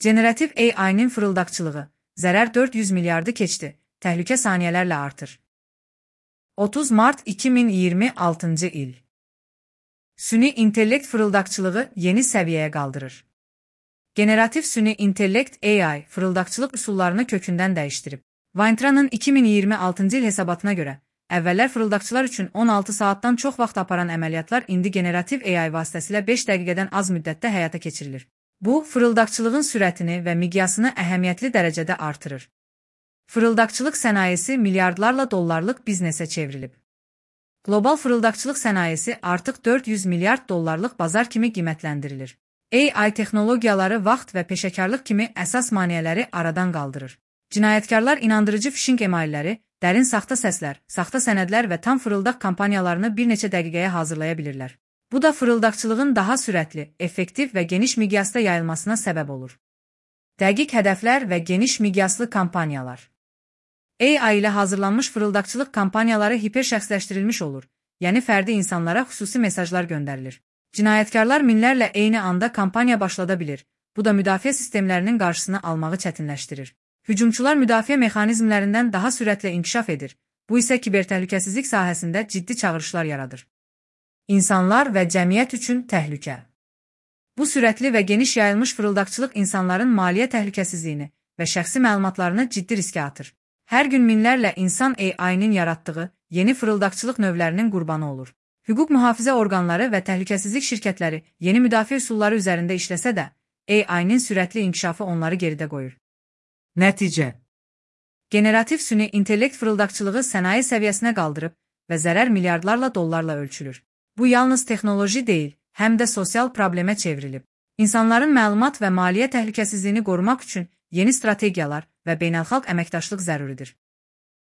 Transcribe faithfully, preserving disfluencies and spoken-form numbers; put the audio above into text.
Generativ A I-nin fırıldaqçılığı, zərər dörd yüz milyardı keçdi, təhlükə saniyələrlə artır. otuz Mart iki min iyirmi altıncı il. Süni intellekt fırıldaqçılığı yeni səviyyəyə qaldırır. Generativ süni intellekt A I fırıldaqçılıq üsullarını kökündən dəyişdirib. Weintraub'ın iki min iyirmi altıncı il hesabatına görə, əvvəllər fırıldaqçılar üçün on altı saatdan çox vaxt aparan əməliyyatlar indi generativ A I vasitəsilə beş dəqiqədən az müddətdə həyata keçirilir. Bu, fırıldaqçılığın sürətini və miqyasını əhəmiyyətli dərəcədə artırır. Fırıldaqçılıq sənayesi milyardlarla dollarlıq biznesə çevrilib. Qlobal fırıldaqçılıq sənayesi artıq dörd yüz milyard dollarlıq bazar kimi qiymətləndirilir. A I texnologiyaları vaxt və peşəkarlıq kimi əsas maneələri aradan qaldırır. Cinayətkarlar inandırıcı fişinq emailləri, dərin saxta səslər, saxta sənədlər və tam fırıldaq kampaniyalarını bir neçə dəqiqəyə hazırlaya bilirlər. Bu da fırıldaqçılığın daha sürətli, effektiv və geniş miqyasda yayılmasına səbəb olur. Dəqiq hədəflər və geniş miqyaslı kampaniyalar. A I ilə hazırlanmış fırıldaqçılıq kampaniyaları hiperşəxsləşdirilmiş olur, yəni fərdi insanlara xüsusi mesajlar göndərilir. Cinayətkarlar minlərlə eyni anda kampaniya başlada bilir, bu da müdafiə sistemlərinin qarşısını almağı çətinləşdirir. Hücumçular müdafiə mexanizmlərindən daha sürətlə inkişaf edir, bu isə kibertəhlükəsizlik sahəsində ciddi çağırışlar yaradır. İnsanlar və cəmiyyət üçün təhlükə. Bu sürətli və geniş yayılmış fırıldaqçılıq insanların maliyyə təhlükəsizliyini və şəxsi məlumatlarını ciddi riskə atır. Hər gün minlərlə insan A I-nin yaratdığı yeni fırıldaqçılıq növlərinin qurbanı olur. Hüquq mühafizə orqanları və təhlükəsizlik şirkətləri yeni müdafiə üsulları üzərində işləsə də, A I-nin sürətli inkişafı onları geridə qoyur. Nəticə: generativ süni intellekt fırıldaqçılığı sənaye səviyyəsinə qaldırıb və zərər milyardlarla dollarla ölçülür. Bu yalnız texnoloji deyil, həm də sosial problemə çevrilib. İnsanların məlumat və maliyyə təhlükəsizliyini qorumaq üçün yeni strategiyalar və beynəlxalq əməkdaşlıq zəruridir.